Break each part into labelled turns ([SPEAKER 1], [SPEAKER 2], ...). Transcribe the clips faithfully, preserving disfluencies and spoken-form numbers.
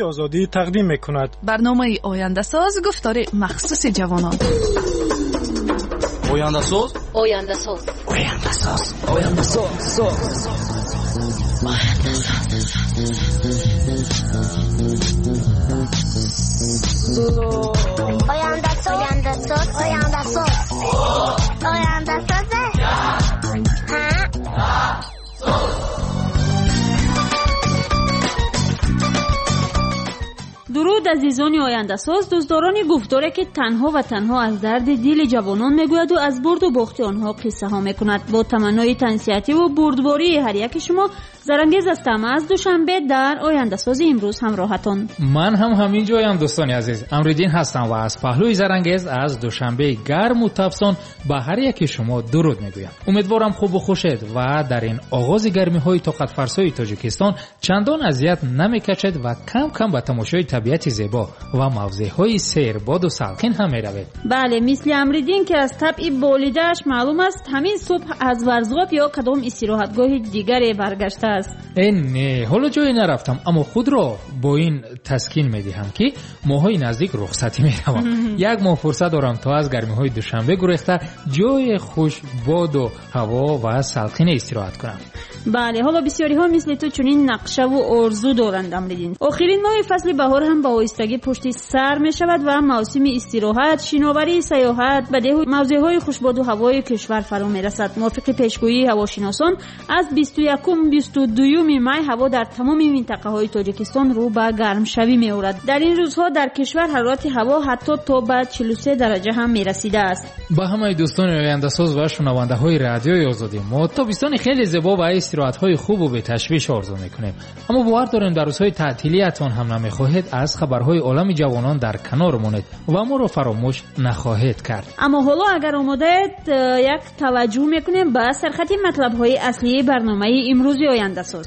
[SPEAKER 1] Озодӣ тақдим мекунад.
[SPEAKER 2] Барномаи Ояндасоз, гуфтори махсуси ҷавонон.
[SPEAKER 3] Ояндасоз,
[SPEAKER 4] Ояндасоз,
[SPEAKER 3] Ояндасоз, Ояндасоз,
[SPEAKER 5] Ояндасоз, Ояндасоз, Ояндасоз, Ояндасоз.
[SPEAKER 6] Дуруд, азизони Ояндасоз, дӯстдорони гуфторе, ки танҳо ва танҳо аз дарди дили ҷавонон мегӯяду аз бурду бохти онҳо қиссаҳо мекунад. Бо таманнои тансиҳативу бурдбории ҳар яки шумо, Зарангез ҳастам аз Душанбе дар Ояндасози имрӯз ҳамроҳатон.
[SPEAKER 7] Ман ҳам ҳамин ҷоям, дӯстони азиз. Амриддин ҳастам ва аз паҳлӯи Зарангез аз Душанбеи гарму тафсон ба ҳар яки шумо дуруд мегӯям. Умедворам хубу хушед ва дар ин оғози гармиҳои тоқатфарсои Тоҷикистон чандон азият намекашед ва кам-кам ба тамошои табиати зебо ва мавзеъҳои сербоду салқин ҳам меравед.
[SPEAKER 6] Бале, мисли Амриддин, ки аз табъи болидааш маълум аст, ҳамин субҳ аз Варзғоб ё кадом истироҳатгоҳи дигаре баргаштааст.
[SPEAKER 7] Э не, ҳоло ҷое нарафтам, аммо худро бо ин таскин медиҳам, ки моҳҳои наздик рухсатӣ меравам. Як моҳ фурсат дорам, то аз гармиҳои Душанбе гурехта ҷои хушбоду ҳаво ва салқине истироҳат кунам.
[SPEAKER 6] Бале, ҳоло бисёриҳо мисли ту чунин нақшаву орзу доранд, Амриддин. Охирин моҳи фасли баҳор ҳам ба оҳистагӣ пушти сар мешавад ва мавсими истироҳат, шиноварии сайёҳат ба деҳу мавзеъҳои хушбоду ҳавои кишвар фаро мерасад. Мувофиқи пешгӯии ҳавошиносон, аз бисту якум бисту дуюми май ҳаво дар тамоми минтақаҳои Тоҷикистон рӯ ба гармшавӣ меорад. Дар ин рӯзҳо дар кишвар ҳарорати ҳаво ҳатто то ба чилу се дараҷа ҳам мерасидааст.
[SPEAKER 7] Ба ҳамаи дӯстони Ояндасоз ва шунавандаҳои Радиои Озодӣ мо тобистони хеле зебо ва истироҳатҳои хубу беташвиш орзу мекунем. Аммо бовар дорем, дар рӯзҳои таътилиятон ҳам намехоҳед аз хабарҳои олами ҷавонон дар канор монед ва моро фаромӯш нахоҳед кард.
[SPEAKER 6] Аммо ҳоло агар омодаед, як таваҷҷӯҳ мекунем ба сархати матлабҳои аслии барномаи имрӯзи Ояндасоз.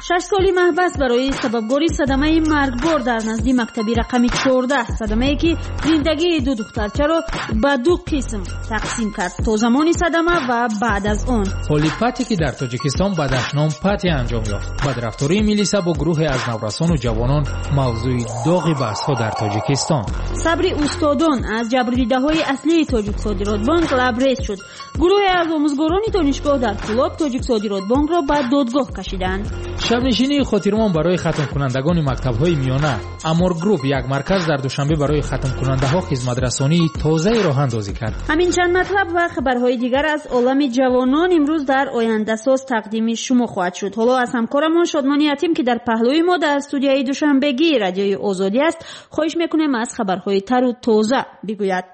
[SPEAKER 6] Шаш соли маҳбас барои сабабгори садамаи маргбор дар назди мактаби рақами чордаҳ, садамае ки зиндагии ду духтарчаро ба ду қисм тақсим кард, то замони садама ва баъд аз он.
[SPEAKER 7] Ҳоли пате ки дар Тоҷикистон ба дашном пате анҷом ёфт, бадрафтории милиса бо гурӯҳе аз наврасону ҷавонон мавзӯи доғи баҳсҳо дар Тоҷикистон.
[SPEAKER 6] Сабри устодон аз ҷабрдидаҳои аслии Тоҷиксодиротбонк лабрез шуд. Гурӯҳе аз омӯзгорони донишгоҳ дар Кӯлоб Тоҷиксодиротбонкро ба додгоҳ кашиданд.
[SPEAKER 7] Шабнишинии хотирмон барои хатмкунандагони мактабҳои миёна. Амор Груп як марказ дар Душанбе барои хатмкунандаҳо хизматрасонии тозаи роҳандозӣ кард.
[SPEAKER 6] Ҳамин чанд матлаб ва хабарҳои дигар аз олами ҷавонон имрӯз дар Ояндасоз тақдими шумо хоҳад шуд. Ҳоло аз ҳамкорамон Шодмони Ятим, ки дар паҳлӯи мо дар студияи Душанбегии Радиои Озодӣ аст, хоҳиш мекунем аз хабарҳои тару тоза бигӯяд.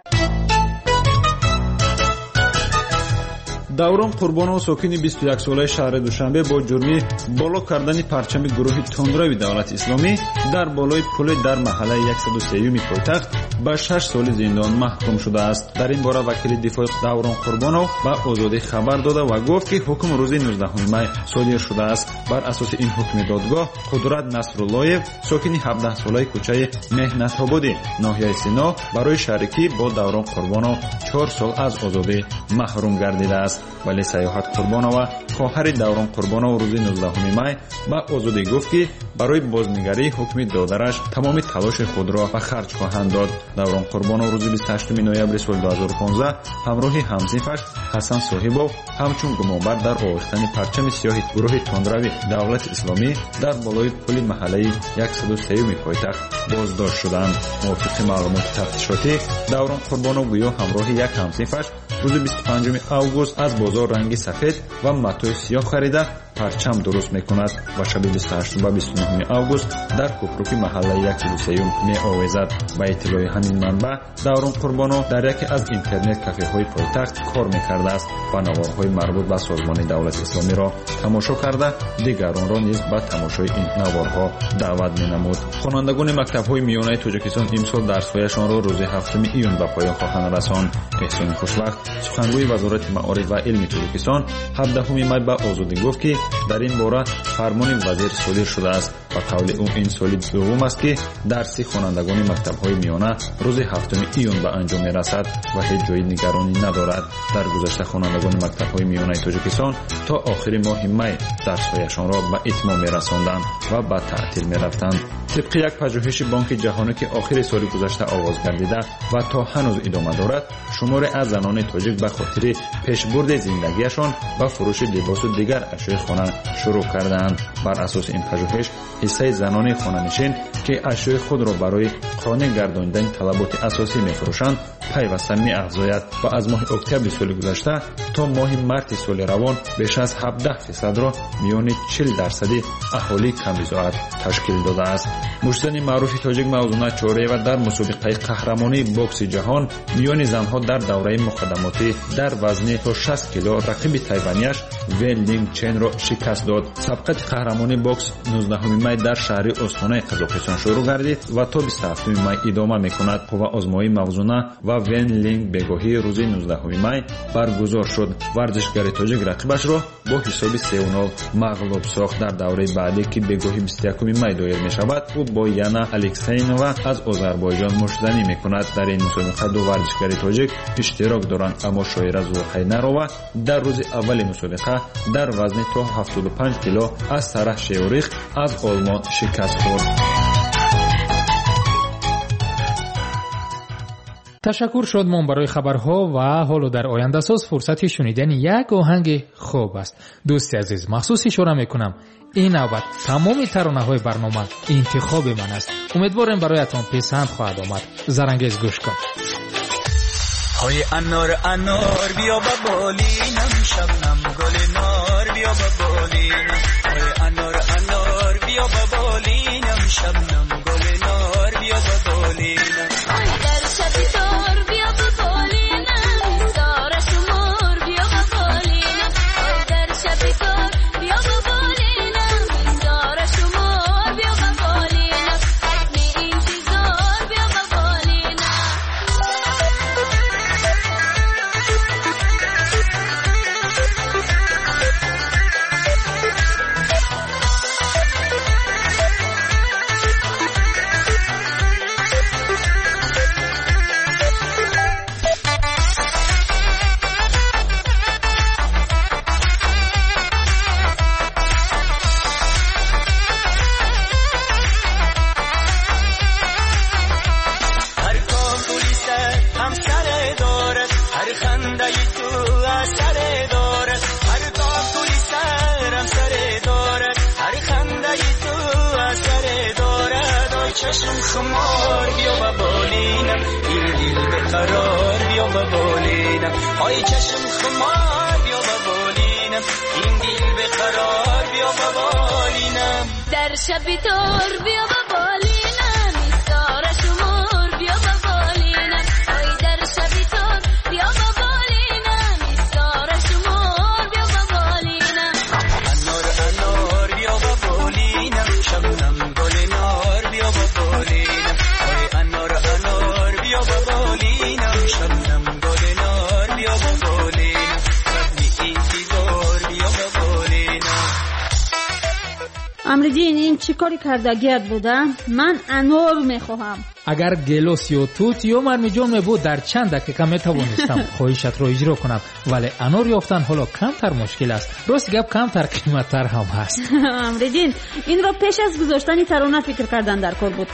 [SPEAKER 8] Даврон Қурбонов, сокини бисту як солаи шаҳри Душанбе, бо ҷурми боло кардани парчами гурӯҳи тундрави Давлати Исломӣ дар болои пуле дар маҳаллаи яксаду сеюми пойтахт ба шаш соли зиндон маҳкум шудааст. Дар ин бора вакили дифои Даврон Қурбонов ба Озодӣ хабар дода ва гуфт, ки ҳукм рӯзи нуздаҳуми май содир шудааст. Бар асоси ин ҳукми додгоҳ, Қудрат Насруллоев, сокини ҳабдаҳсолаи кӯчаи Меҳнатободӣ ноҳияи Сино, барои шарикӣ бо Даврон Қурбонов чор сол аз озодӣ маҳрум гардидааст. Вале Саёҳат Қурбонова, хоҳари Даврон Қурбонов, рӯзи нуздаҳуми май ба Озодӣ гуфт, ки барои бознигарии ҳукми додараш тамоми талоши худро ба харҷ хоҳанд дод. Даврон Қурбонов рӯзи бисту ҳаштуми ноябри соли ду ҳазору понздаҳ ҳамроҳи ҳамсинфаш Ҳасан Соҳибов ҳамчун гумонбар дар овехтани парчами сиёҳи гурӯҳи тундрави Давлати Исломӣ дар болои пули маҳаллаи яксаду сеюми пойтахт боздошт шуданд. Мувофиқи маълумоти тафтишотӣ, Даврон Қурбонов гӯё ҳамроҳи як ҳамсинфаш рӯзи бисту панҷуми август аз бозор ранги сафед ва матои сиёҳ харида парчам дуруст мекунад ва шаби бисту ҳаштум ба бисту нуҳуми август дар кӯпруки маҳаллаи яксаду сеюм меовезад. Ба иттилои ҳамин манбаъ, Даврон Қурбонов дар яке аз интернет кафеҳои пойтахт кор мекардааст ва наворҳои марбут ба созмони Давлати Исломиро тамошо карда, дигаронро низ ба тамошои ин наворҳо даъват менамуд. Хонандагони мактабҳои миёнаи Тоҷикистон имсол дарсҳояшонро рӯзи ҳафтуми июн ба поён хоҳанд расонд. Эҳсони Хушвақт, сухангӯи Вазорати маориф ва илми Тоҷикистон, ҳабдаҳуми май ба Озодӣ гуфт, ки Дар ин бора фармони вазир содир шудааст. Ба қавли ӯ ин соли дуввум аст, ки дарси хонандагони мактабҳои миёна рӯзи ҳафтуми июн ба анҷом мерасад ва ҳеҷ ҷои нигаронӣ надорад. Дар гузашта хонандагони мактабҳои миёнаи Тоҷикистон то охири моҳи май дарсҳояшонро ба итмом мерасонданд ва ба таътил мерафтанд. Тибқи як пажӯҳиши Бонки Ҷаҳонӣ, ки охири соли гузашта оғоз гардида ва то ҳанӯз идома дорад, шуморе аз занони тоҷик ба хотири пешбурди зиндагиашон ба фурӯши либосу дигар ашёи хона шурӯъ кардаанд. Бар асоси ин пажӯҳиш, ҳиссаи занони хонанишин, ки ашёи худро барои қонеъ гардонидани талаботи асосӣ мефурӯшанд, пайваста меафзояд ва аз моҳи октябри соли гузашта то моҳи марти соли равон беш аз ҳабдаҳ фисадро миёни чил дарсади аҳолии камбизоат ташкил додааст. Муштзани маъруфи тоҷик Мавзуна Чореева дар мусобиқаи қаҳрамонии бокси ҷаҳон миёни занҳо дар давраи муқаддамотӣ дар вазни то шаст кило рақиби тайванияш Вен Линг Ченро шикаст дод. Сабқати қаҳрамонии бокс нуздаҳуми май дар шаҳри Остонаи Қазоқистон шурӯъ гардид ва то бисту ҳафтуми май идома мекунад. Қувваозмоии Мавзуна ва Вен Линг бегоҳии рӯзи нуздаҳуми май баргузор шуд. Варзишгари тоҷик рақибашро бо ҳисоби се нол мағлуб сохт. Дар давраи баъдӣ, ки бегоҳи бисту якуми май доир мешавад, ӯ бо Яна Алексейнова аз Озарбойҷон муштзанӣ мекунад. Дар ин мусобиқа ду варзишгари тоҷик иштирок доранд, аммо Шоира Зулқайнарова дар рӯзи аввали мусобиқа дар вазни то ҳафтоду панҷ кило аз Сараҳ Шеурих аз Олмон шикаст хӯрд.
[SPEAKER 7] Ташаккур Шодмон барои хабарҳо ва ҳоло дар ояндасоз фурсати шунидани як оҳанги хуб аст. Дӯсти азиз, махсус ишора мекунам, ин навбат тамоми таронаҳои барнома интихоби ман аст. Умедворем бароятон писанд хоҳад омад. Зарангез, гӯш кун.
[SPEAKER 1] های انار انار بیا با بالینم، شبنم گل نار بیا با بالینم. های انار انار بیا با بالینم، شبنم گل نار بیا با بالینم.
[SPEAKER 5] در شب تار بیا با بالینم، ستاره شمار بیا با بالینم. در شب تار بیا با بالینم، ستاره شمار بیا با بالینم. حتمی انتظار بیا با بالینم.
[SPEAKER 1] چشم خمار بیا با بالینم، این دل به قرار بیا با بالینم. آی چشم خمار بیا با بالینم، این دل به قرار بیا با بالینم.
[SPEAKER 5] در شب تار بیا با بالینم، ستاره شمار بیا با بالینم. آی در شب تار بیا با بالینم، ستاره شمار بیا با بالینم.
[SPEAKER 1] انار انار بیا با بالینم، شبنم گل نار بیا با بالینم. آی انار انار بیا با بالینم، شبنم گل نار بیا با بالینم. ربی انتظار بیا با بالینم.
[SPEAKER 6] Амриддин, ин чӣ кори кардагият буда? Ман анор мехоҳам.
[SPEAKER 7] Агар гелос ё тут ё мармиҷон мебуд, дар чанд дақиқа метавонистам хоҳишатро иҷро кунам, вале анор ёфтан ҳоло камтар мушкил аст. Рост гап, камтар қиматтар ҳам ҳаст.
[SPEAKER 6] Амриддин, инро пеш аз гузоштани тарона фикр кардан дар кор буд.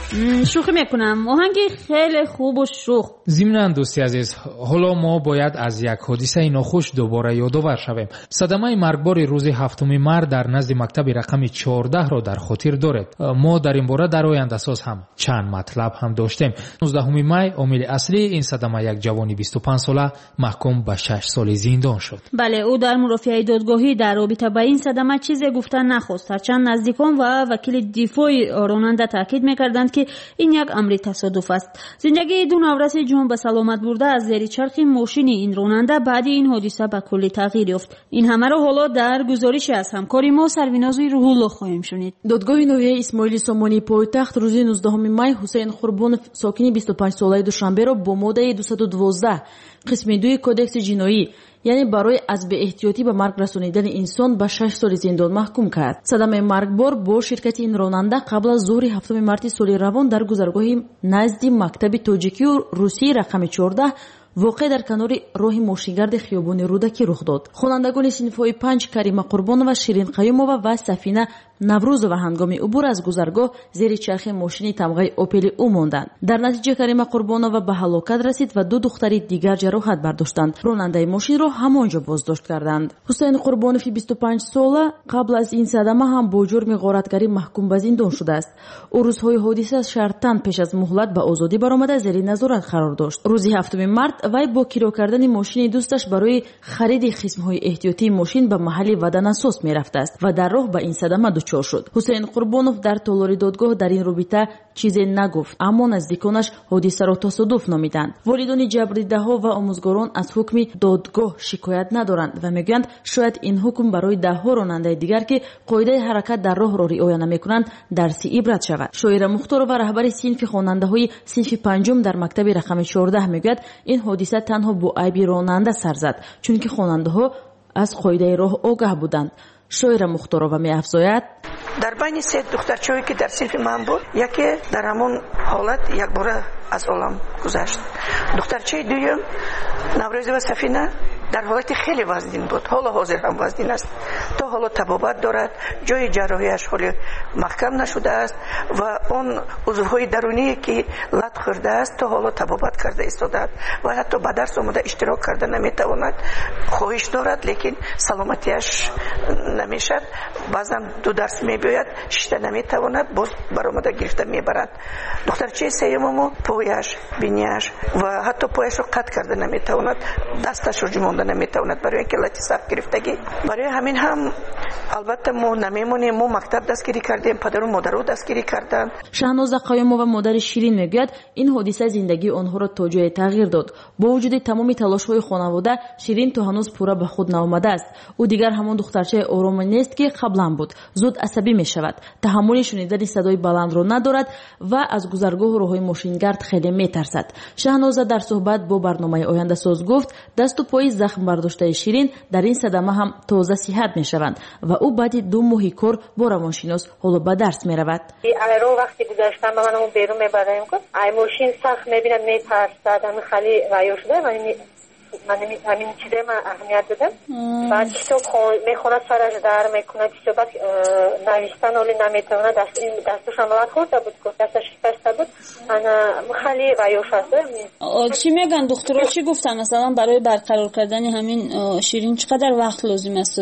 [SPEAKER 6] Шӯхӣ мекунам, оҳанги хеле хубу шӯх.
[SPEAKER 7] Зимнан, дӯсти азиз, ҳоло мо бояд аз як ҳодисаи нохуш дубора ёдовар шавем. Садамаи маргбори рӯзи ҳафтуми март дар назди мактаби рақами чордаҳро дар хотир доред. Мо дар ин бора дар ояндасоз ҳам чанд матлаб ҳам доштем. нуздаҳуми май омили аслии ин садама як ҷавони бисту панҷ сола маҳкум ба шаш соли зиндон шуд.
[SPEAKER 6] Бале, ӯ дар мурофиаи додгоҳӣ дар робита ба ин садама чизе гуфта нахост. Ҳарчанд наздикон ва вакили дифои ронанда таъкид мекарданд, ки ин як амри тасодуф аст. Зиндагии ду навраси ҷон ба саломат бурда аз зери чархи мошини ин ронанда баъди ин ҳодиса ба куллӣ тағйир ёфт. Ин ҳамаро ҳоло дар гузорише аз ҳамкори мо Сарвинози Рӯҳулло хоҳем шунид.
[SPEAKER 4] Додгоҳи ноҳияи Исмоили Сомонии пойтахт рӯзи нуздаҳуми май Ҳусейн Қурбон Қурбонов, сокини бисту панҷсолаи Душанберо бо моддаи дусаду дувоздаҳ қисми дуи Кодекси ҷиноӣ, яъне барои аз беэҳтиётӣ ба марг расонидани инсон ба шаш соли зиндон маҳкум кард. Садамаи маргбор бо ширкати ин ронанда қабл аз зуҳри ҳафтуми марти соли равон дар гузаргоҳи назди мактаби тоҷикию русии рақами чордаҳ воқеъ дар канори роҳи мошингарди хиёбони Рӯдакӣ рух дод. Хонандагони синфҳои панҷ Карима Қурбонова, Ширин Қаюмова ва Сафина Наврӯзова ҳангоми убур аз гузаргоҳ зери чархи мошини тамғаи Опели ӯ монданд. Дар натиҷа Карима Қурбонова ба ҳалокат расид ва ду духтари дигар ҷароҳат бардоштанд. Ронандаи мошинро ҳамон ҷо боздошт карданд. Ҳусайн Қурбонови бисту панҷ сола қабл аз ин садама ҳам бо ҷурми ғоратгарӣ маҳкум ба зиндон шудааст. Ӯ рӯзҳои ҳодиса шартан пеш аз муҳлат ба озодӣ баромада зери назорат қарор дошт. Рӯзи ҳафтуми март вай бо киро кардани мошини дӯсташ барои хариди қисмҳои эҳтиётии мошин ба маҳалли ваданасос мерафтааст ва дар роҳ ба ин садама дучор шуд. Ҳусайн Қурбонов дар толори додгоҳ дар ин робита чизе нагуфт, аммо наздиконаш ҳодисаро тасодуф номиданд. Волидони ҷабрдидаҳо ва омӯзгорон аз ҳукми додгоҳ шикоят надоранд ва мегӯянд, шояд ин ҳукм барои даҳҳо ронандаи дигар, ки қоидаи ҳаракат дар роҳро риоя намекунанд, дарси ибрат шавад. Шоира Мухторова, раҳбари синфи хонандаҳои синфи панҷум дар мактаби рақами чордаҳ, мегӯяд, ин ҳодиса танҳо бо айби ронанда сар зад, чунки хонандаҳо аз қоидаи роҳ огаҳ буданд. Шоира Мухторова меафзояд:
[SPEAKER 9] дар байни се духтарчае ки дар синфи ман буд, яке дар ҳамон ҳолат якбора аз олам гузашт. Духтарчаи дуюм Наврӯзова Сафина дар ҳолати хеле вазнин буд, ҳоло ҳозир ҳам вазнин аст, то ҳоло табобат дорад, ҷои ҷарроҳияш ҳоле маҳкам нашудааст ва он узвҳои даруние ки лат хӯрдааст то ҳоло табобат карда истодааст ва ҳатто ба дарс омода иштирок карда наметавонад. Хоҳиш дорад, лекин саломатиаш намешад. Баъзан ду дарс мебиёяд, шишта наметавонад, боз баромада гирифта мебарад. Духтарчаи сеюмамо пояш, бинияш ва ҳатто пояшро қатъ карда наметавонад, дасташро ҷумонда наметавонад, барои инки лати сахт гирифтагӣ. Барои ҳамин ҳам албатта мо намемонем, мо мактаб дастгирӣ кардем, падару модаро дастгирӣ карданд.
[SPEAKER 4] Шаҳноза Қаюмова, модари Ширин, мегӯяд, ин ҳодиса зиндагии онҳоро то ҷое тағйир дод. Бо вуҷуди тамоми талошҳои хонавода, Ширин то ҳанӯз пурра ба худ наомадааст. Ӯ дигар ҳамон духтарчаи ороме нест, ки қаблан буд. Зуд асабӣ мешавад, таҳаммули шунидани садои баландро надорад ва аз гузаргоҳу роҳҳои мошингард хеле метарсад. Шаҳноза дар суҳбат бо барномаи Ояндасоз гуфт, дасту пои захм бардоштаи Ширин дар ин садама ҳам тоза сиҳат мешаванд ва ӯ баъди ду моҳи кор бо равоншинос ҳоло ба дарс меравад.
[SPEAKER 10] Айро вақти гузаштан ба ман берун мебарем, ай мошин сахт мебинад, метарсад, ами хали ваё шуда, ман ҳамин чизе ман аҳамият додам. Баъд китоб мехонад, сараш дар мекунад, китоб баъд навиштан оли наметавонад, дастушам лат хӯрда буд, дасташ шикаста буд. Ана хали ваёш аст.
[SPEAKER 6] Чӣ мегӯянд духтуро, чӣ гуфтанд масалан барои барқарор кардани ҳамин Ширин чӣ қадар вақт лозим аст?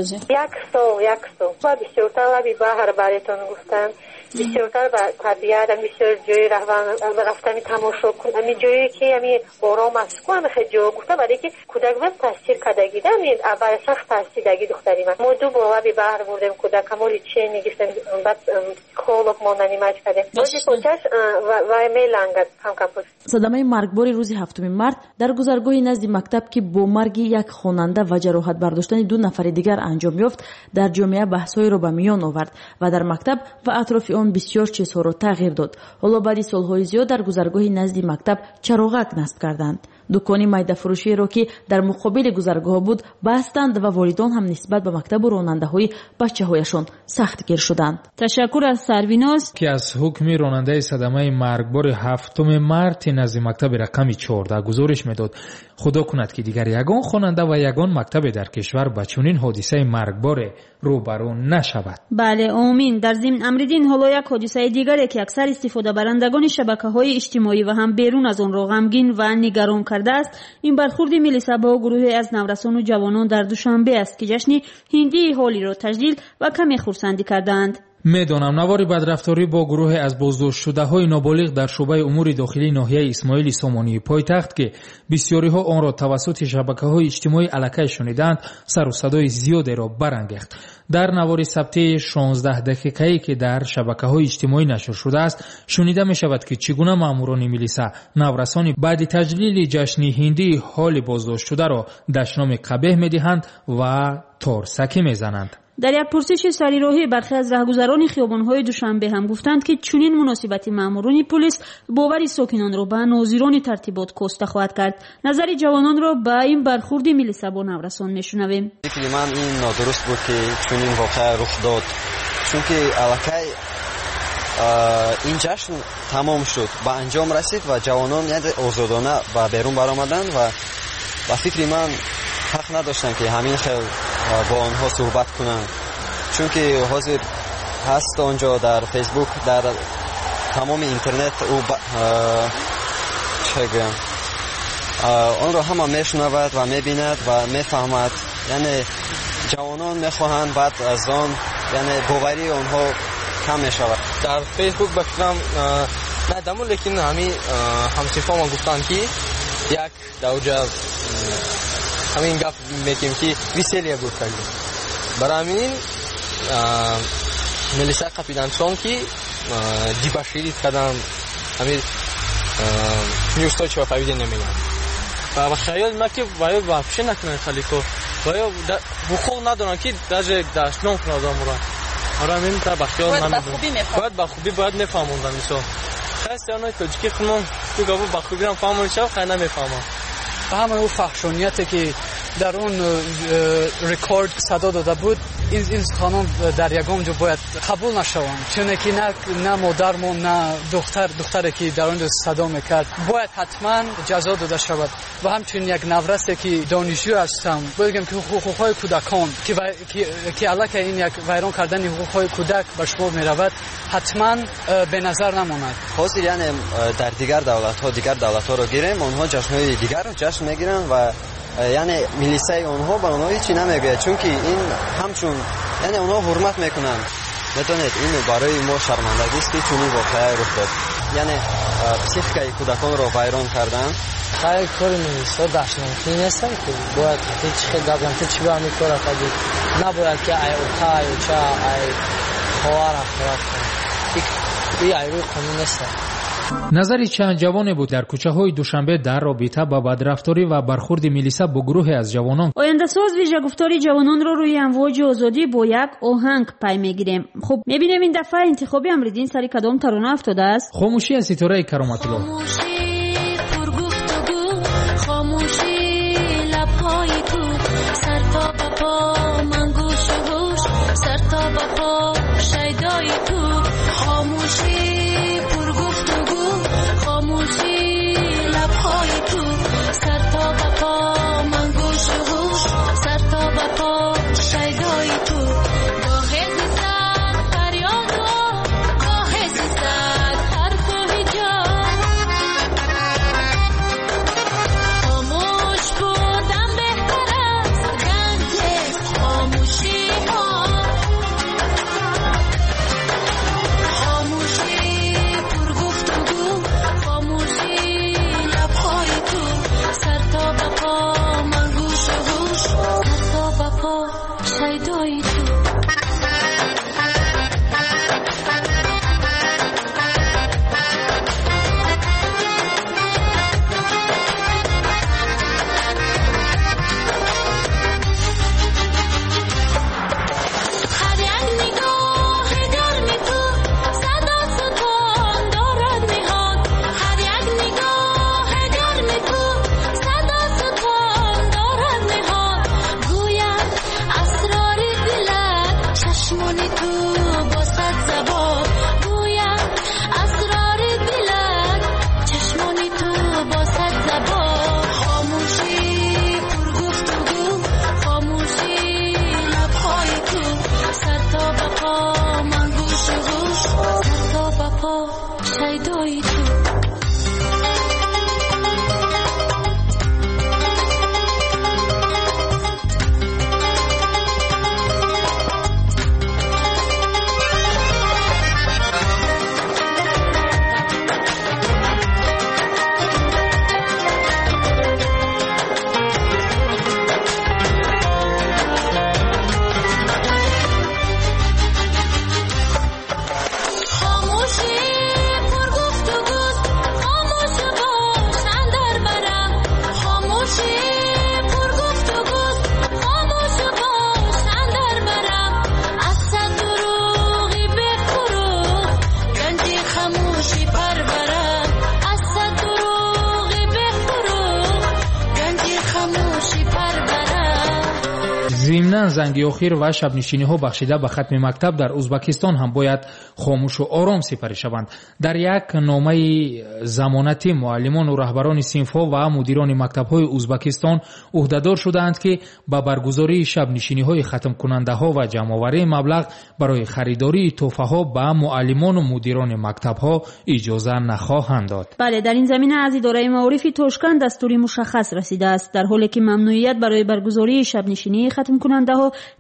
[SPEAKER 10] Як сол, як сол. Ва бисёртар лаби баҳр баретон гуфтанд, бисёртар ба табиат, бисёр ҷои рафтани тамошо кун, ҳамин ҷое ки ҳамин ором аст ку, ҳамин хел ҷо гуфта, барои ки кӯдак ба таъсир кардагида, ҳамин аввал сахт таъсир даги духтари ман. Мо ду бор лаби баҳр бурдем кӯдака, мо лечение гирифтем, баъд психолог мо нанимать кардем. Бози почаш вай мелангад кам-кам.
[SPEAKER 4] Садамаи маргбори рӯзи ҳафтуми март дар гузаргоҳи назди мактаб, ки бо марги як хонанда ва ҷароҳат бардоштани ду нафари дигар анҷом ёфт, дар ҷомеа баҳсҳоеро ба миён овард ва дар мактаб ва атрофи он бисёр чизҳоро тағйир дод. Ҳоло баъди солҳои зиёд дар гузаргоҳи назди мактаб чароғак насб карданд. Дукони майдафурӯшиеро, ки дар муқобили гузаргоҳ буд, бастанд ва волидон ҳам нисбат ба мактабу ронандаҳои бачаҳояшон сахтгир шуданд.
[SPEAKER 6] Ташаккур аз Сарвиноз,
[SPEAKER 7] ки аз ҳукми ронандаи садамаи маргбори ҳафтуми марти назди мактаби рақами чордаҳ гузориш медод. Худо кунад, ки дигар ягон хонанда ва ягон мактабе дар кишвар ба чунин ҳодисаи маргборе рӯбарӯ нашавад.
[SPEAKER 6] Бале, омин. Дар зимн Амриддин, ҳоло як ҳодисаи дигаре, ки аксар истифодабарандагони шабакаҳои иҷтимоӣ ва ҳам берун аз онро ғамгин ва нигарон кардааст, ин бархурди милиса бо гурӯҳе аз наврасону ҷавонон дар Душанбе аст, ки ҷашни ҳиндии ҳолиро таҷлил ва каме хурсандӣ кардаанд.
[SPEAKER 7] Медонам, навори бадрафторӣ бо гурӯҳе аз боздоштшудаҳои ноболиғ дар шӯъбаи умури дохилии ноҳияи Исмоили Сомонии пойтахт, ки бисёриҳо онро тавассути шабакаҳои иҷтимоӣ аллакай шунидаанд, сару садои зиёдеро барангехт. Дар навори сабтии шонздаҳ дақиқае, ки дар шабакаҳои иҷтимоӣ нашр шудааст, шунида мешавад, ки чӣ гуна маъмурони милиса наврасони баъди таҷлили ҷашни ҳиндии ҳоли боздоштшударо дашноми қабеҳ медиҳанд ва торсакӣ мезананд.
[SPEAKER 6] Дар як пурсиши сарироҳӣ бархе аз раҳгузарони хиёбонҳои Душанбе ҳам гуфтанд, ки чунин муносибати маъмурони пулис бовари сокинонро ба нозирони тартибот коста хоҳад кард. Назари ҷавононро ба ин бархурди милиса бо наврасон мешунавем.
[SPEAKER 11] Фикри ман ин нодуруст буд, ки чунин воқеа рух дод, чунки аллакай ин ҷашн тамом шуд, ба анҷом расид ва ҷавонон озодона ба берун баромаданд ва ба фикри ман ҳақ надоштанд, ки ҳамин хел бо онҳо суҳбат кунанд, чунки ҳозир ҳаст онҷо дар Фейсбук, дар тамоми интернет ӯ чӣ гӯям, онро ҳама мешунавад ва мебинад ва мефаҳмад. Яъне ҷавонон мехоҳанд баъд аз он, яъне боварии онҳо кам мешавад.
[SPEAKER 12] Дар Фейсбук ба фикрам надаму, лекин ҳами ҳамсифома гуфтанд, ки як дар оҷа ҳамин гап мекем, ки веселье буд кардем. Барои ҳамин милиса қапидан, чун ки дебоширить кардан, ҳамин неустойчивое поведение мегӯянд.
[SPEAKER 13] Ба хаёли ман, ки ваё вообще накунанд халико, ваё ҳуқуқ надоранд, ки даже дашном кунад одамро. Барои ҳамин ба хаёл бояд ба хубӣ бояд мефаҳмонданд. Мисол, хай тоҷики хунон ку гапо ба хубиам фаҳмони шав, хай намефаҳмам.
[SPEAKER 14] Ҳамаи ӯ фаҳшонияте, ки дар он рекорд садо дода буд, ин ин суханон дар ягон ҷо бояд қабул нашаванд, чуне ки на на модармон, на духтар духтаре, ки дар он ҷо садо мекард, бояд ҳатман ҷазо дода шавад. Ва ҳамчунин як наврасе, ки донишҷӯ ҳастам, бояд гӯям, ки ҳуқуқҳои кӯдакон, ки аллакай ин як вайрон кардани ҳуқуқҳои кӯдак ба шумор меравад, ҳатман беназар намонад.
[SPEAKER 11] Ҳозир яъне дар дигар давлатҳо, дигар давлатҳоро гирем, онҳо ҷашнҳои дигарро ҷашн мегиранд ва яъне милисаи онҳо ба онҳо ҳечи намегӯяд, чунки ин ҳамчун яъне онҳо ҳурмат мекунанд. Медонед, ин барои мо шармандагист, ки чунин воқеа рух дод, яъне психикаи кӯдаконро вайрон карданд.
[SPEAKER 15] Хай, кори милиса дашнамкӣ нестам, ки бояд чӣ хел гап зан, ту чӣ ба ҳамин кора кардӣ? Набояд, ки ай ота, ай оча, ай хоҳар ҳақорат кунад. И ай рӯи қонун нестам.
[SPEAKER 7] Назари чанд ҷавоне буд дар кӯчаҳои Душанбе дар робита ба бадрафторӣ ва бархурди милиса бо гурӯҳе аз ҷавонон.
[SPEAKER 6] Ояндасоз вижагуфтори ҷавононро рӯи амвоҷи озодӣ бо як оҳанг пай мегирем. Хуб, мебинем, ин дафъа интихоби Амриддин сари кадом тарона афтодааст.
[SPEAKER 7] Хомӯшӣ аз Ситораи Кароматулло.
[SPEAKER 5] Хомӯшӣ лабҳои ту, сар то ба по ман гӯшу гӯш, сар то ба по шайдои ту. Хомӯшӣ пургуфтугӯ, хомӯшӣ лабҳои ту, сар то ба по ман гӯшу гӯш, сар то ба по шайдои ту. Гоҳе зи сад фарёду, гоҳе зи сад ҳарфу ҳиҷоб, хомӯш будан беҳтар аст, ганҷ нест хомӯшиҳо. Хомӯшӣ пургуфтугӯ, хомӯшӣ лабҳои ту, сар то ба по ман гӯшу гӯш, сар то ба по шайдои ту. Ҳар як нигоҳи гарми ту садо сутон дорад ниҳон, ҳар як нигоҳи гарми ту садо сутон дорад ниҳон. Гӯяд асрори дилат чашмони ту бо сад забон, гӯяд асрори дилат чашмони ту бо сад забон. Хомӯшӣ пургуфтугӯ, хомӯшӣ лабҳои ту, сар то ба по ман гӯшу гӯш, сар то ба по шайдои ту. Хомӯшӣ пургуфтугӯ.
[SPEAKER 7] Яқинан занги охир ва шабнишиниҳо бахшида ба хатми мактаб дар Узбакистон ҳам бояд хомӯшу ором сипарӣ шаванд. Дар як номаи замонатӣ муаллимону раҳбарони синфҳо ва мудирони мактабҳои Узбакистон ӯҳдадор шудаанд, ки ба баргузории шабнишиниҳои хатмкунандаҳо ва ҷамъоварии маблағ барои харидории тӯҳфаҳо ба муаллимону мудирони мактабҳо иҷоза нахоҳанд дод.
[SPEAKER 6] Бале, дар ин замина аз идораи маорифи Тошканд дастури мушаххас расидааст. Дар ҳоле ки мамнуият барои баргузории шабнишинии хатмкунандаҳо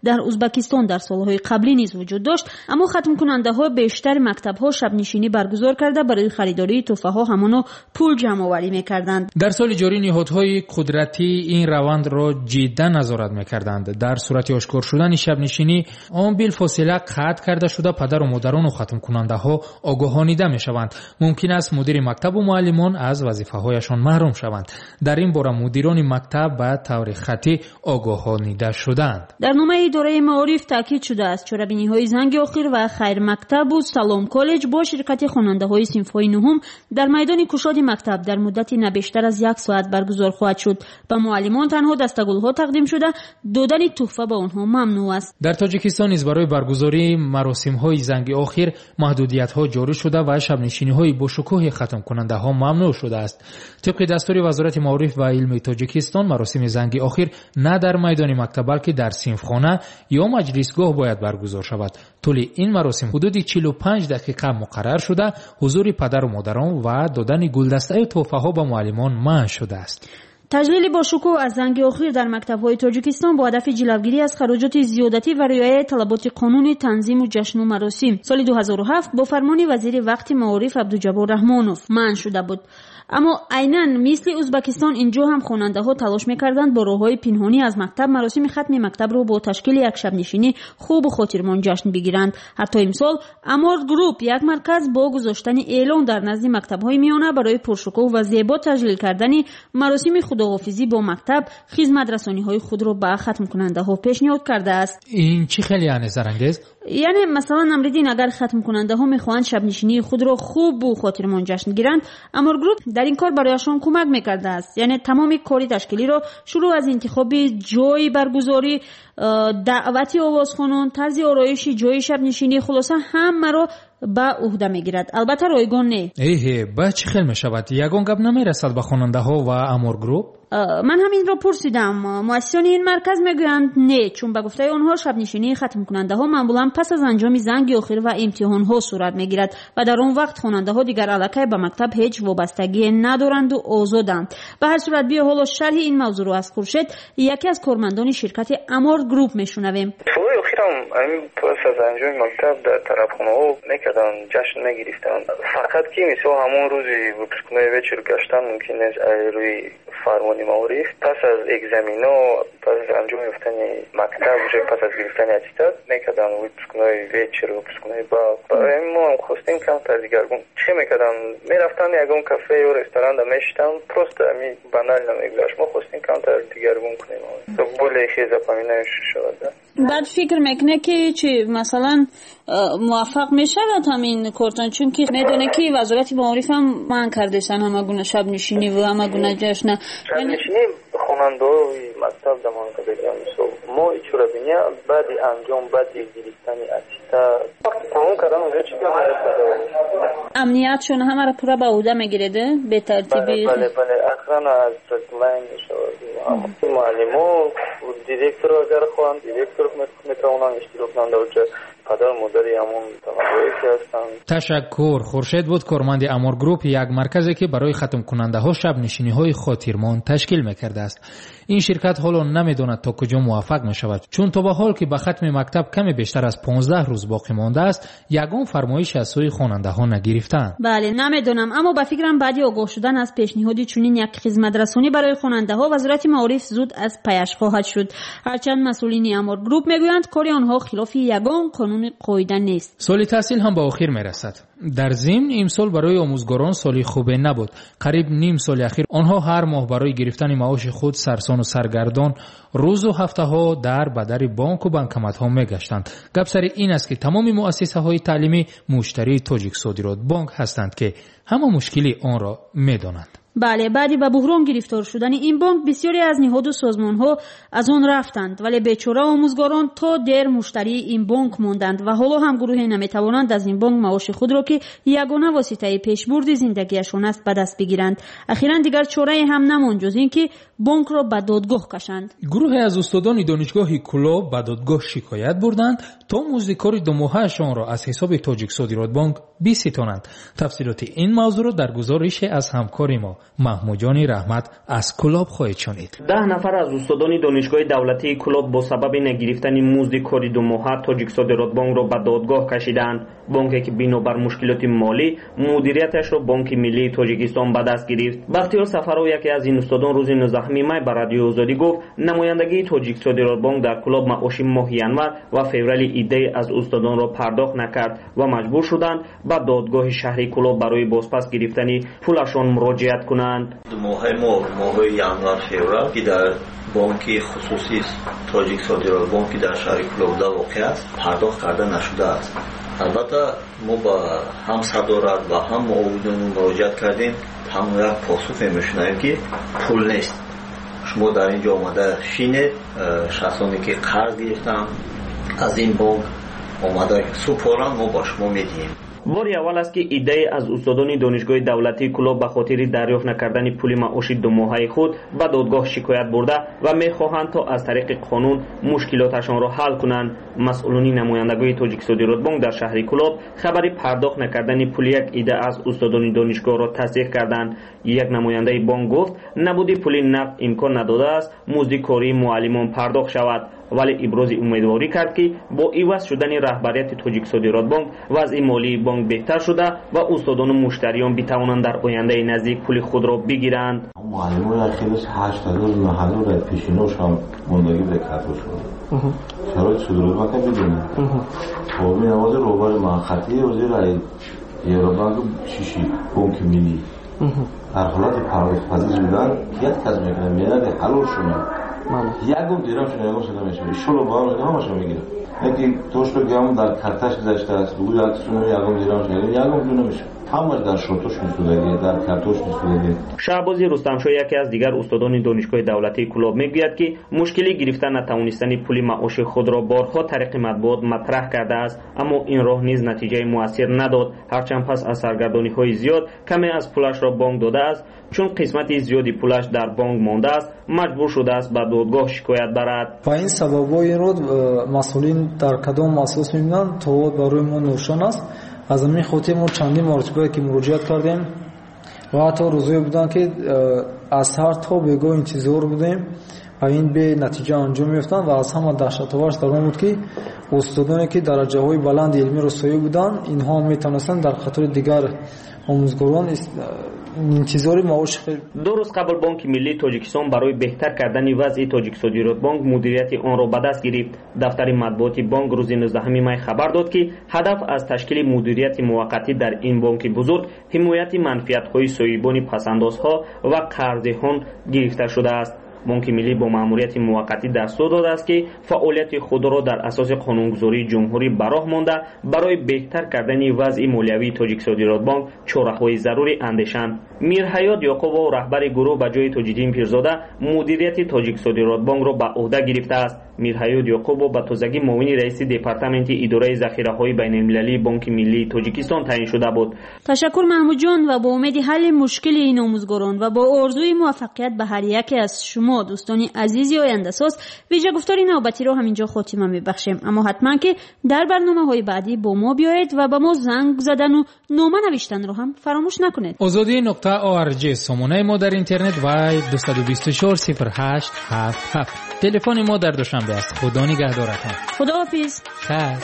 [SPEAKER 6] дар Узбакистон дар солҳои қаблӣ низ вуҷуд дошт, аммо хатмкунандаҳо бештар мактабҳо шабнишинӣ баргузор карда барои харидории тӯҳфаҳо ҳамоно пул ҷамъоварӣ мекарданд.
[SPEAKER 7] Дар соли ҷорӣ ниҳодҳои қудратӣ ин равандро ҷиддан назорат мекарданд. Дар сурати ошкор шудани шабнишинӣ он билфосила қатъ карда шуда падару модарону хатмкунандаҳо огоҳонида мешаванд. Мумкин аст мудири мактабу муаллимон аз вазифаҳояшон маҳрум шаванд. Дар ин бора мудирони мактаб ба таври хаттӣ огоҳонида шудаанд.
[SPEAKER 6] Дар номаи идораи маориф таъкид шудааст, чорабиниҳои занги охир ва хайрмактабу салом коллеҷ бо ширкати хонандаҳои синфҳои нуҳум дар майдони кушоди мактаб дар муддати на бештар аз як соат баргузор хоҳад шуд. Ба муаллимон танҳо дастагулҳо тақдим шуда, додани тӯҳфа ба онҳо мамнӯъ аст.
[SPEAKER 7] Дар Тоҷикистон низ барои баргузории маросимҳои занги охир маҳдудиятҳо ҷорӣ шуда ва шабнишиниҳои бошукӯҳи хатмкунандаҳо мамнӯъ шудааст. Тибқи дастури Вазорати маориф ва илми Тоҷикистон маросими занги охир на дар майдони мактаб, балки дар синфхона ё маҷлисгоҳ бояд баргузор шавад. Тӯли ин маросим ҳудуди чилу панҷ дақиқа муқаррар шуда, ҳузури падару модарон ва додани гулдастаю тӯҳфаҳо ба муаллимон манъ шудааст.
[SPEAKER 6] Таҷлили бошукӯҳ аз занги охир дар мактабҳои Тоҷикистон бо ҳадафи ҷилавгирӣ аз хароҷоти зиёдатӣ ва риояи талаботи қонуни танзиму ҷашну маросим соли ду ҳазору ҳафт бо фармони вазири вақти маориф Абдуҷаббор Раҳмонов манъ шуда буд. Аммо айнан мисли Узбакистон инҷо ҳам хонандаҳо талош мекарданд бо роҳҳои пинҳонӣ аз мактаб маросими хатми мактабро бо ташкили як шабнишинӣ хубу хотирмон ҷашн бигиранд. Ҳатто имсол Амор Груп як марказ бо гузоштани эълон дар назди мактабҳои миёна барои пуршукӯҳ ва зебо таҷлил кардани маросими худоҳофизӣ бо мактаб хизматрасониҳои худро ба хатмкунандаҳо пешниҳод кардааст.
[SPEAKER 7] Ин чӣ хеле яъне Зарангез?
[SPEAKER 6] Яъне масалан Амриддин, агар хатмкунандаҳо мехоҳанд шабнишинии худро хубу хотирмон ҷашн гиранд, Амор Груп дар ин кор барояшон кӯмак мекардааст. Яъне тамоми кори ташкилиро шурӯъ аз интихоби ҷойи баргузорӣ, даъвати овозхонон, тарзи ороиши ҷойи шабнишинӣ, хулоса ҳамаро ба ӯҳда мегирад. Албатта ройгон не.
[SPEAKER 7] Эҳе, ба чӣ хел мешавад? Ягон гап намерасад ба хонандаҳо ва Амор Груп?
[SPEAKER 6] Ман ҳаминро пурсидам. Муассисони ин марказ мегӯянд не, чун ба гуфтаи онҳо шабнишинии хатмкунандаҳо маъмулан пас аз анҷоми занги охир ва имтиҳонҳо сурат мегирад ва дар он вақт хонандаҳо дигар аллакай ба мактаб ҳеҷ вобастагие надоранду озоданд. Ба ҳар сурат биё ҳоло шарҳи ин мавзӯъро аз Хуршед, яке аз кормандони ширкати Амор Груп мешунавем.
[SPEAKER 16] Солҳои охирам ҳамин пас аз анҷоми мактаб дар тарабхонаҳо мекарданд, ҷашн мегирифтанд. Фақат ки мисол ҳамон рӯзи выпускной вечер гаштан мумкин нест аз рӯи фармони маориф. Пас аз экзамено, пас аз анҷом ёфтани мактаб, уже пас аз гирифтани аттестат мекарданд выпускной вечер, выпускной бал. Барои мо ҳам хостем камтар дигаргун. Чӣ мекарданд? Мерафтанд ягон кафе ё ресторанда мешитанд, просто ҳамин банально мегузашт. Мо хостем камтар дигаргун кунем, более хел запоминающий шавад.
[SPEAKER 6] Баъд фикр мекунед ки чи масалан муваффақ мешавад ҳамин кортон, чунки медонед ки Вазорати маориф ҳам манъ кардесан ҳама гуна шабнишинӣ ва ҳама гуна ҷашна.
[SPEAKER 16] Шабнишинӣ хонандаҳои мактаб да манъ кардагиам. Мисол мо чорабиния баъди анҷом, баъди гирифтани аттестат вақти тамом кардан уже чӣ гап нарасад.
[SPEAKER 6] Амниятшон ҳамаро пурра ба ӯҳда мегиред, бетартибӣ?
[SPEAKER 16] Бале, бале, охрана аз лайн мешавад. Муаллимо, директор агар хоҳанд, директор метавонанд иштирок кунанд дар ҷо, падару модари ҳамон талабое ки ҳастанд.
[SPEAKER 7] Ташаккур. Хуршед буд, корманди Амор Груп, як марказе ки барои хатмкунандаҳо шабнишиниҳои хотирмон ташкил мекардааст. Ин ширкат ҳоло намедонад то куҷо муваффақ мешавад, чун то ба ҳол ки ба хатми мактаб каме бештар аз понздаҳ рӯз боқӣ мондааст, ягон фармоиш аз сӯи хонандаҳо нагирифтаанд.
[SPEAKER 6] Бале, намедонам, аммо ба фикрам баъди огоҳ шудан аз пешниҳоди чунин як хизматрасонӣ барои хонандаҳо Вазорати маориф зуд аз паяш хоҳад шуд. Ҳарчанд масъулини Амор Груп мегӯянд кори онҳо хилофи ягон қонуни қоида нест.
[SPEAKER 7] Соли таҳсил ҳам ба охир мерасад. Дар зимн имсол барои омӯзгорон соли хубе набуд. Қариб ним соли ахир онҳо ҳар моҳ барои гирифтани маоши худ сарсону саргардон рӯзу ҳафтаҳо дар бадари бонку банкоматҳо мегаштанд. Гап сари ин аст ки тамоми муассисаҳои таълимӣ муштарии Тоҷиксодиротбонк ҳастанд, ки ҳама мушкили онро медонанд.
[SPEAKER 6] Бале, баъди ба буҳрон гирифтор шудани ин бонк бисёре аз ниҳоду созмонҳо аз он рафтанд, вале бечора омӯзгорон то дер муштарии ин бонк монданд ва ҳоло ҳам гурӯҳе наметавонанд аз ин бонк маоши худро, ки ягона воситаи пешбурди зиндагиашон аст, ба даст бигиранд. Ахиран дигар чорае ҳам намонд ҷуз ин ки бонкро ба додгоҳ кашанд.
[SPEAKER 7] Гурӯҳе аз устодони донишгоҳи Кӯлоб ба додгоҳ шикоят бурданд, то музди кори думоҳаашонро аз ҳисоби Тоҷиксодиротбонк биситонанд. Тафсилоти ин мавзӯъро дар гузорише аз ҳамкори мо Маҳмудҷони Раҳмат аз Кӯлоб хоҳед шунид.
[SPEAKER 17] Даҳ нафар аз устодони донишгоҳи давлатии Кӯлоб бо сабаби нагирифтани музди кори думоҳа Тоҷиксодиротбонкро ба додгоҳ кашиданд. Бонке ки бинобар мушкилоти молӣ мудирияташро Бонки миллии Тоҷикистон ба даст гирифт. Бахтиёр Сафаров, яке аз ин устодон, рӯзи нуздаҳуми май ба Радиои Озодӣ гуфт, намояндагии Тоҷиксодиротбонк дар Кӯлоб маоши моҳи январ ва феврали иддае аз устодонро пардохт накард ва маҷбур шуданд ба додгоҳи шаҳри Кӯлоб барои бозпас гирифтани пулашон муроҷиат кунанд.
[SPEAKER 18] Моҳи мо, моҳи январ феврал, ки дар бонки хусусии Тоҷиксодиротбонк, ки дар шаҳри Кӯлоб воқеъ аст, пардохт карда нашудааст. Албатта мо ба ҳам садорат ва ҳам муовинон муроҷиат кардем, танҳо як посухе мешунавем, ки пул нест. Шумо дар ин ҷо омада шинед, шахсоне ки қарз гирифтанд аз ин бонк омада супоранд, мо ба шумо медиҳем.
[SPEAKER 17] Бори аввал аст, ки иддае аз устодони донишгоҳи давлатии Кӯлоб ба хотири дарёфт накардани пули маоши думоҳаи худ ба додгоҳ шикоят бурда ва мехоҳанд то аз тариқи қонун мушкилоташонро ҳал кунанд. Масъулони намояндагоҳи Тоҷиксодиротбонк дар шаҳри Кӯлоб хабари пардохт накардани пули як идда аз устодони донишгоҳро тасдиқ карданд. Як намояндаи бонк гуфт, набуди пули нақд имкон надодааст музди кории муаллимон пардохт шавад, вале ибрози умедворӣ кард, ки бо иваз шудани раҳбарияти Тоҷиксодиротбонк вазъи молии бонк беҳтар шуда ва устодону муштариён битавонанд дар ояндаи наздик пули худро бигиранд.
[SPEAKER 19] Муаллимон хеле ҳашт ҳазор нӯҳ ҳазор пешиношам мондагӣ ба картош шуда. Шароити содиротбонк бидонед. Ҳозир ҳозир роҳбари манхатӣ ҳозир Евробанк шиши бонки миллӣ дар ҳолати пардохтпазир будан як кас мекунад, меяд ҳалол шунад. Ягон дирам шуна ягон шуда мешавад. Иншолло ба ҳам ҳамаша мегирад. Яке тошто ки ҳамон дар карташ гузаштааст, бугӯ як суна ягон дирам шуна ягон ҷо намешавад. Ҳамаш дар шортош мисудагӣ, дар картош мисудагӣ.
[SPEAKER 17] Шаҳбози Рустамшоҳ, яке аз дигар устодони донишгоҳи давлатии Кӯлоб, мегӯяд, ки мушкили гирифта натавонистани пули маоши худро борҳо тариқи матбуот матраҳ кардааст, аммо ин роҳ низ натиҷаи муассир надод. Ҳарчанд пас аз саргардониҳои зиёд каме аз пулашро бонк додааст, чун қисмати зиёди пулаш дар бонк мондааст, маҷбур шудааст ба додгоҳ шикоят барад.
[SPEAKER 20] Ва ин сабабҳои инро масъулин дар кадом асос мебинанд, то барои мо ношон аст. Аз ҳамин хотир мо чандин маротиба ки муроҷиат кардем ва ҳатто рӯзое буданд, ки аз сар то бегоҳ интизор будем ва ин бенатиҷа анҷом меёфтанд. Ва аз ҳама даҳшатоварш дар он буд, ки устодоне ки дараҷаҳои баланди илмиро соҳиб буданд, инҳо метавонистанд дар қатори дигар омӯзгорон интизори маош.
[SPEAKER 17] Ду рӯз қабл Бонки миллии Тоҷикистон барои беҳтар кардани вазъи Тоҷиксодиротбонк мудирияти онро ба даст гирифт. Дафтари матбуоти бонк рӯзи нуздаҳуми май хабар дод, ки ҳадаф аз ташкили мудирияти муваққатӣ дар ин бонки бузург ҳимояти манфиатҳои соҳибони пасандозҳо ва қарздиҳон гирифта шудааст. Бонки миллӣ бо маъмурияти муваққатӣ дастур додааст, ки фаъолияти худро дар асоси қонунгузории ҷумҳурӣ ба роҳ монда, барои беҳтар кардани вазъи молиявии Тоҷиксодиротбонк чораҳои зарурӣ андешанд. Мирҳаёт Ёқубов, раҳбари гурӯҳ, ба ҷои Тоҷиддин Пирзода мудирияти Тоҷиксодиротбонкро ба ӯҳда гирифтааст. Мирҳаёт Ёқубов ба тозагӣ муовини раиси департаменти идораи захираҳои байналмилалии Бонки миллии Тоҷикистон таъин шуда буд.
[SPEAKER 6] Ташаккур, Маҳмудҷон, ва бо умеди ҳалли мушкили ин омӯзгорон ва бо орзуи муваффақият ба ҳар яке аз шумо дӯстони азизи ояндасоз, вижагуфтори навбатиро ҳаминҷо хотима мебахшем. Аммо ҳатман ки дар барномаҳои баъдӣ бо мо биёед ва ба мо занг задану нома навиштанро ҳам фаромӯш накунед.
[SPEAKER 7] Озодӣ нуқта орг сомонаи мо дар интернет ва дусаду бисту чор сифр ҳашт ҳафт ҳафт телефони мо дар Душанбе аст. Худо нигаҳдоратон.
[SPEAKER 6] Худоҳофиз.
[SPEAKER 7] Хайр.